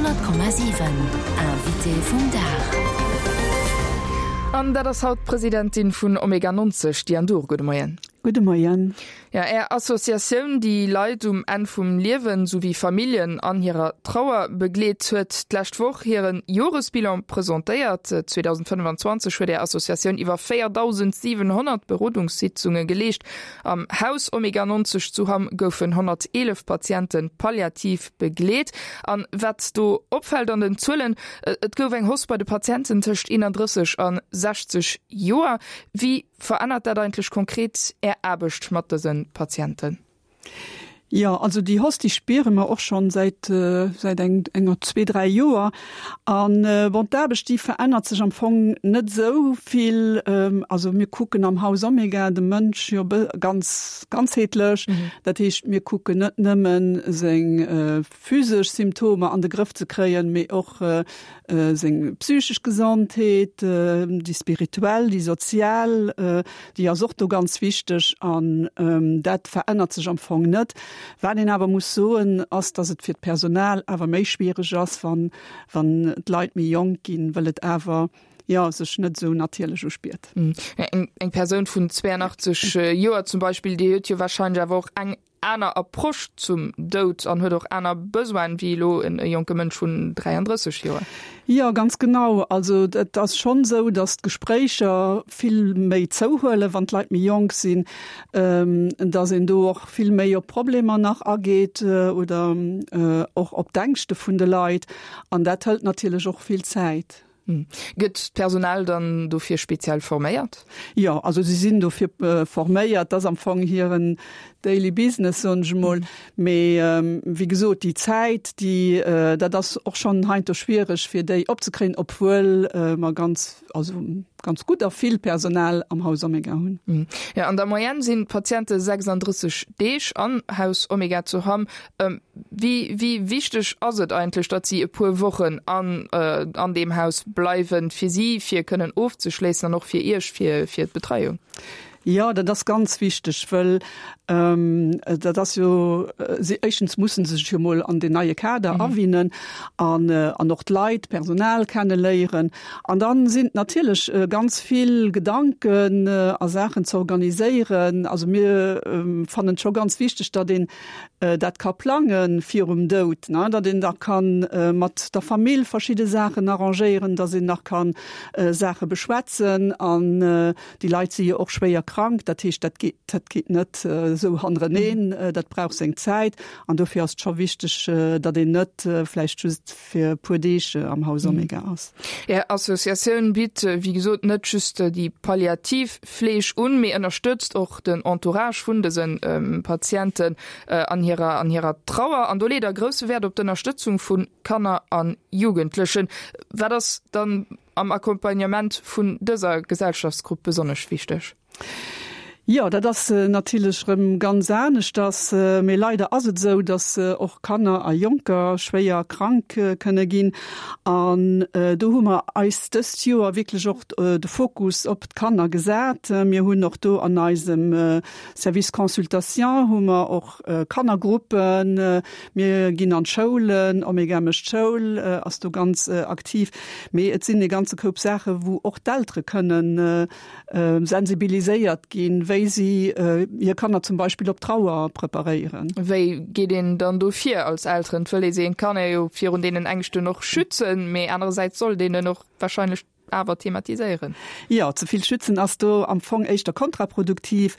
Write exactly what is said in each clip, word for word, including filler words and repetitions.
Honnert Komma siwen, Invité vum Dag. An dat ass haut d'Presidentin vun Omega neunzeg, Diane Dhur. Gudde Moien. Gudde Moien. Ja, Är Associatioun, déi Leit um Enn vum Liewen souwéi Familljen an hirer Trauer begleet, huet d'lescht Woch hiren Joresbilan presentéiert. zweedausendfënnefanzwanzeg huet Är Associatioun iwwer véierdausendsiwenhonnert Berodungssitzunge geleescht. Am Haus Omega neunzeg zu Hamm goufen honnerteelef Patiente palliativ begleet. An wat do opfält an den Zuelen, et gouf eng Hausse bei de Patienten tëscht eenandrësseg a sechzeg Joer. Wéi verännert dat eigentlech konkret Är Aarbecht mat dëse Patienten? Jo, also déi Hausse, déi spiere mer och schonn säit, säit eng, enger zwee, dräi Joer. An bon, d'Aarbecht, déi verännert sech am Fong net esou vill. Also mir kucken am Haus Omega de Mënsch jo ganz ganzheetlech. Dat heescht, mir kucken net nëmmen seng physesch Symptomer an de Grëff ze kréien, mee och seng psychesch Gesondheet, déi spirituell, déi sozial, déi ass och do ganz wichteg. An dat verännert sech am Fong net. Wat een awer muss soen, ass, datt et fir d'Personal awer méi schwiereg ass, wann, wann d'Leit méi jonk ginn, well et awer, jo, sech net esou natierlech uspiert. Eng, eng Persoun vun zweiundachtzeg Joer zum Beispill, déi huet jo wahrscheinlech awer och eng aner Approche zum Doud an huet och aner Besoinen wéi elo en jonke Mënsch vun dräiandrësseg Joer. Jo, ganz genau. Also et ass schonn esou, datt d'Gespréicher vill méi zouhuelen, wann d'Leit méi jonk sinn, datt een do och vill méi op Problemer nach ageet oder och op d'Ängschte vun de Leit. An dat hëlt natierlech och vill Zäit. Gëtt d'Personal dann dofir speziell forméiert? Jo, also si sinn dofir forméiert. Dat ass am Fong hiren daily business, soen ech emol. Mee wéi gesot, déi Zäit, déi, dat ass och schonn heiansdo schwiereg, fir déi opzekréien, obwuel mer ganz, also ganz gutt a vill Personal am Haus Omega hunn. Jo, an der Moyenne sinn d'Patiente sechsandrësseg Deeg am Haus Omega zu Hamm. Wéi, wéi wichteg ass et eigentlech, datt si e puer Wochen an, an deem Haus bleiwen, fir si, fir kënnen ofzeschléissen an och fir Iech, fir, fir d'Betreiung? Jo, dat ass ganz wichteg, wëll dat ass jo, si, éischtens mussen se sech jo mol an deen neie Kader awinnen an, an och d'Leit, d'Personal kenneléieren. An dann sinn et natierlech ganz vill Gedanken a Saachen ze organiséieren. Also mir fannen et scho ganz wichteg, datt een dat ka plange virum Doud, ne, datt een da ka mat der Famill verschidde Saachen arrangéieren, datt een nach ka Saache beschwätzen. An déi Leit si jo och schwéier krank, dat heescht, dat geet, dat geet net esou hannereneen, dat brauch seng Zäit. An dofir ass et scho wichteg, datt een net vläicht just fir e puer Deeg am Haus Omega ass. Är Associatioun bitt, wéi gesot, net just déi palliativ Fleeg un, mee ënnerstëtzt och den Entourage vun dëse Patienten an hirer an hirer Trauer. An do leet Der grousse Wäert op d'Ënnerstëtzung vu Kanner a Jugendlechen. Wat ass dann am Accompagnement vun dëser Gesellschaftsgrupp besonnesch wichteg? Jo, dat ass natierlech erëm ganz aneschters. Mee leider ass et esou, datt och Kanner a Jonker schwéier krank kënne ginn. An do hu mer eis dëst Joer wierklech och de Fokus op d'Kanner gesat. Mir hunn och do an eisem Service Consultation hu mer och Kannergruppen. Mir ginn an d'Schoulen, Omega mécht Schoul ass do ganz aktiv. Mee et sinn e ganze Koup Saache wou och d'Eltere kënnen sensibiliséiert ginn, wéi si hir Kanner zum Beispill op d'Trauer preparéieren. Wéi geet een dann do vir als Elteren? Et wëll ee se, een kann ee jo virun deenen Ängschten och schützen, mee anerersäits sollt een en och wahrscheinlech awer thematiséieren. Jo, ze vill schützen ass do am Fong éischter kontraproduktiv.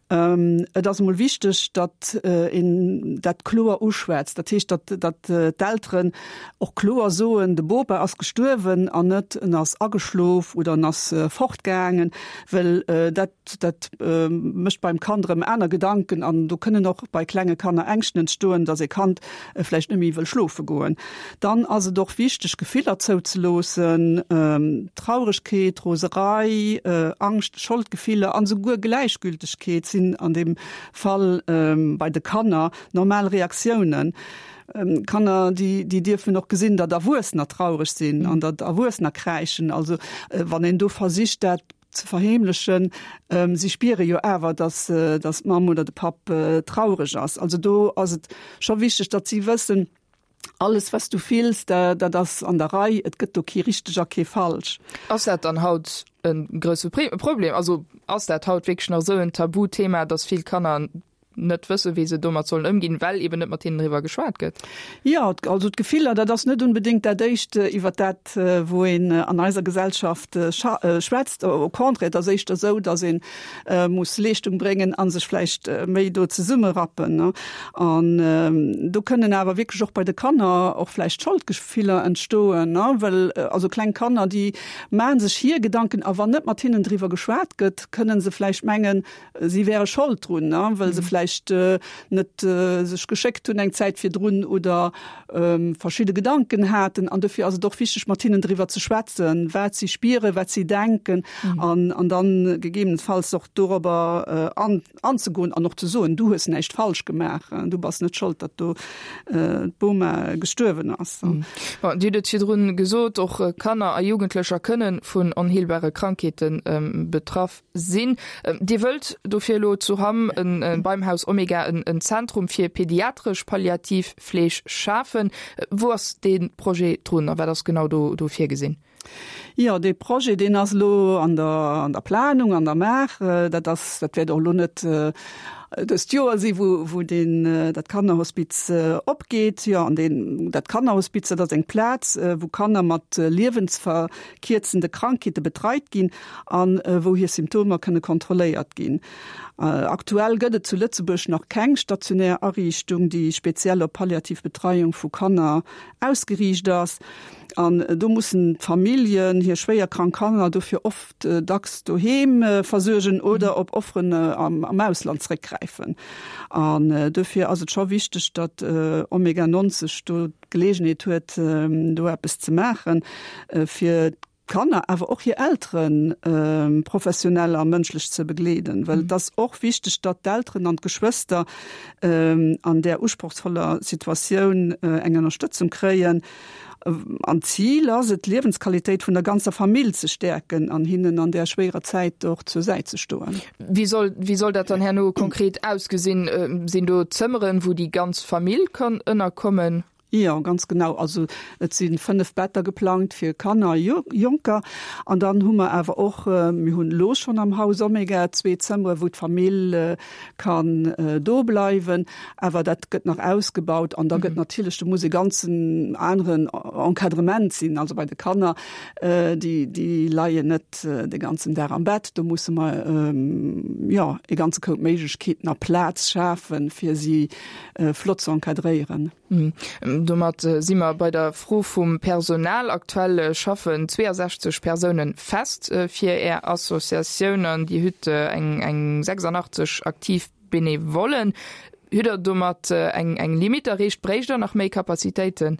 Et ass emol wichteg, datt een dat kloer uschwätzt. Dat heescht, datt datt d'Elteren och kloer soen, de Bopa ass gestuerwen an net en ass ageschlof oder en ass fortgaangen, well dat dat mécht beim Kand erëm aner Gedanken an do kënnen och bei klenge Kanner Ängschten entstoen, datt e Kand vläicht net méi wëll schlofe goen. Dann ass et och wichteg, Gefiller zouzeloossen, Trauregkeet, Roserei, Angscht, Scholdgefiller an esouguer Gläichgültegkeet sinn an deem Fall bei de Kanner normal Reaktiounen. Kanner, déi déi dierfen och gesinn, datt Erwuessener traureg sinn an datt Erwuessener kräischen. Also wann een do versicht, dat ze verheemlechen, si spiere jo awer, datt datt d'Mamm oder de Papp traureg ass. Also do ass et scho wichteg, datt si wëssen, Alles wat s du fills, dat ass an der Rei, et gëtt do kee richteg a kee falsch. Ass dat dann haut e grousse Problem? Also ass dat haut wierklech nach esou en Tabuthema, datt vill Kanner net wësse wéi se domat sollen ëmginn, well eben net mat hinnen driwwer geschwat gëtt? Jo, also d'Gefiller, dat ass net unbedéngt dat éischt, iwwer dat wou een an eiser Gesellschaft schwätzt. Au contraire, et ass éischter esou, datt ee muss Leeschtung bréngen a sech vläicht méi do zesummerappen. An do kënnen awer wierklech och bei de Kanner och vläicht Scholdgefiller entstoen, well also kleng Kanner, déi maache sech hir Gedanken a wann net mat hinnen driwwer geschwat gëtt, kënnen se vläicht mengen, si wäre Schold drun, well se vläicht net sech geschéckt hunn eng Zäit virdrun oder verschidde Gedanken haten. An dofir ass et och wichteg, mat hinnen driwwer ze schwätzen, wat si spieren, wat si denken an an dann gegebenenfalls och dorobber an anzegoen an och ze soen, du hues näischt falsch gemaach, du bass net schold, datt do d'Boma gestuerwen ass. Bon, Dir hutt et virdrun gesot, och Kanner a Jugendlecher kënne vun onheelbare Krankheete betraff sinn. Dir wëllt dofir elo zu Hamm beim Haus Omega en Zentrum fir pediatresch palliativ Fleeg schafen. Wou ass dee Projet drun a wat ass genau do virgesinn? Jo, dee Projet, deen ass elo an der, an der Planung, an der Maach. Dat ass, dat wäert och elo net dëst Joer si wou, wou deen, dat Kannerhospiz opgeet. Jo, an deen, dat Kannerhospiz, dat ass eng Plaz, wou Kanner mat liewensverkierzende Krankheete betreit ginn an wou hir Symptomer kënne kontrolléiert ginn. Aktuell gëtt et zu Lëtzebuerg nach keng stationär Ariichtung, déi speziell op palliativ Betreiung vu Kanner ausgeriicht ass. An do mussen d'Familljen hir schwéier krank Kanner dofir oft dacks doheem versuergen oder op Offeren am Ausland zréckgräifen. An dofir ass et scho wichteg, datt Omega neunzeg do d'Geleegenheet huet, do eppes ze maachen, fir d'Kanner, awer och hir Eltere professionell a mënschlech ze begleeden. Well et ass och wichteg, datt d'Elteren an d'Geschwëster an där usprochsvoller Situatioun eng Ënnerstëtzung kréien. An d'Zil ass et, d'Liewensqualitéit vun der ganzer Famill ze stäerken an hinnen an där schwéierer Zäit och zur Säit ze stoen. Wéi soll, wéi soll dat dann herno konkret ausgesinn? Sinn do Zëmmeren, wou déi ganz Famill kann ënnerkommen? Jo, ganz genau. Also et si fënnef Better geplangt fir Kanner a Jonker. An dann hu mer awer och, mir hunn elo schonn am Haus Omega zwee Zëmmere wou d'Famill kann do bleiwen. Awer dat gëtt nach ausgebaut an da gëtt natierlech, do muss e ganzen aneren Encadrement sinn. Also bei de Kanner, déi, déi leien net de ganzen Dag am Bett. Do musse mer, jo, e ganze Koup Méiglechkeeten a Plaz schafen, fir si flott ze encadréieren. Domat si mer bei der Fro vum Personal. Aktuell schaffen zweeësechzeg Persoune fest fir Är Associatioun an Dir hutt eng sechsundachtzeg aktiv Benevollen. Hutt Der domat eng Limite erreecht? Bréicht Der nach méi Capacitéiten?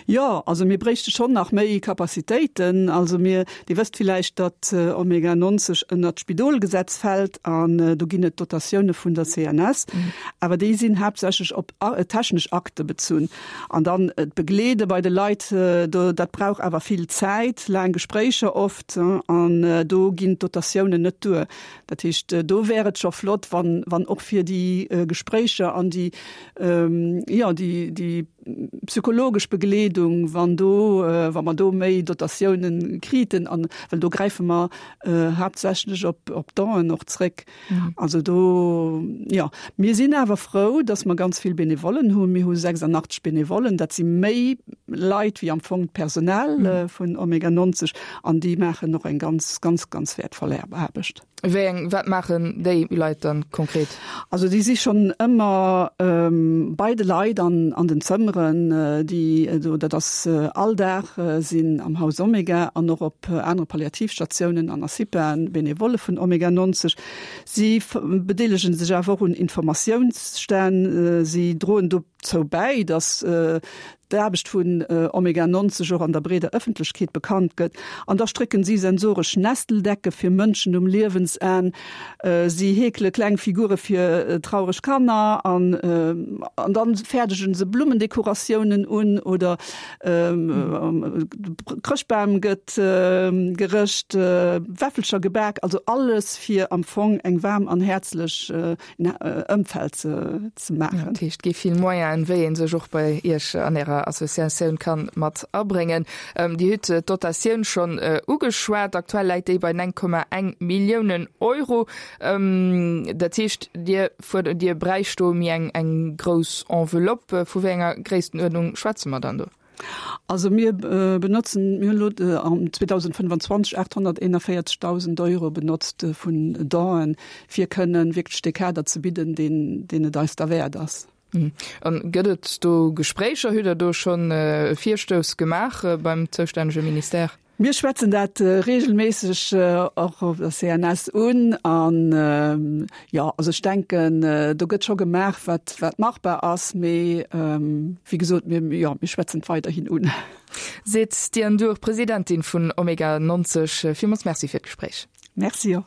Jo, also mir bréichte schonn nach méi Capacitéiten. Also mir, Dir wësst villäicht, datt Omega neunzeg ënnert d'Spidolgesetz fält an do ginn et Dotatioune vun der C N S, awer déi sinn haaptsächlech op technesch Akte bezunn. An dann d'Begleede bei de Leit, do, dat brauch awer vill Zäit, laang Gespréicher oft, an do ginn d'Dotatiounen net duer. Dat heescht, do wär et scho flott, wann, wann och fir déi Gespréicher an déi, jo, déi, déi psychologesch Begleedung, wann do, wa mer do méi Dotatiounen kriten, an well do gräife mer haaptsächlech op, op Donen och zréck. Also do, jo. Mir sinn awer frou, dass mer ganz vill Benevollen hunn. Mir hu sechsundachtzeg Benevollen, dat si méi Leit wéi am Fong d'Personal vun Omega neunzeg, an déi maachen och eng ganz, ganz, ganz wäertvoll Aarbecht. Wéi eng, wat maachen déi Leit dann konkret? Also déi si schonn ëmmer bei de Leit an an den Zëmmeren, déi do, dat ass all Dag sinn am Haus Omega an och op anere Palliativstatiounen an a CIPAen Benevolle vun Omega neunzeg. Si bedeelegen sech awer och un Informatiounsstänn, si droen dozou bäi, datt d'Aarbecht vun Omega neunzeg och an der breeder Ëffentlechkeet bekannt gëtt. An da strécken si sensoresch Nesteldecke fir Mënschen um Liewensenn, si heekele kleng Figure fir traureg Kanner an an dann fäerdegen se Blummendekoratiounen un oder Chrëschtbam gëtt gerëscht, Wäffelcher gebak, also alles fir am Fong eng waarm an häerzlech Ëmfeld ze maachen. Dat heescht, et gi vill Moyenen, wéi ee sech och bei Iech an Ärer Ärer Associatioun kann mat abréngen. Dir hutt d'Dotatioun schonn ugeschwat. Aktuell läit déi bei néng Komma eng Milliounen Euro. Dat heescht, Dir fuerdert, Dir bräicht do méi eng eng grouss Enveloppe. Vu wéi enger Gréisstenuerdnung schwätze mer dann do? Also mir benotzen, mir hunn elo am zweedausendfënnwanzwanzeg aathonnerteenavéierzegdausend Euro benotzt vun Donen, fir kënnen wierklech dee Kader ze bidden, deen, deen et eis derwäert ass. An gëtt et do Gespréicher? Hutt Der do schonn e Virstouss gemaach beim zoustännege Ministère? Mir schwätzen dat reegelméisseg och op der C N S un an, jo, also ech denken, do gëtt scho gemaach, wat wat machbar ass, mee wéi gesot, mir, jo, mir schwätzen et weiderhin un. Seet d'Diane Dhur, Presidentin vun Omega neunzig. Villmools Merci fir d'Gespréich. Merci och.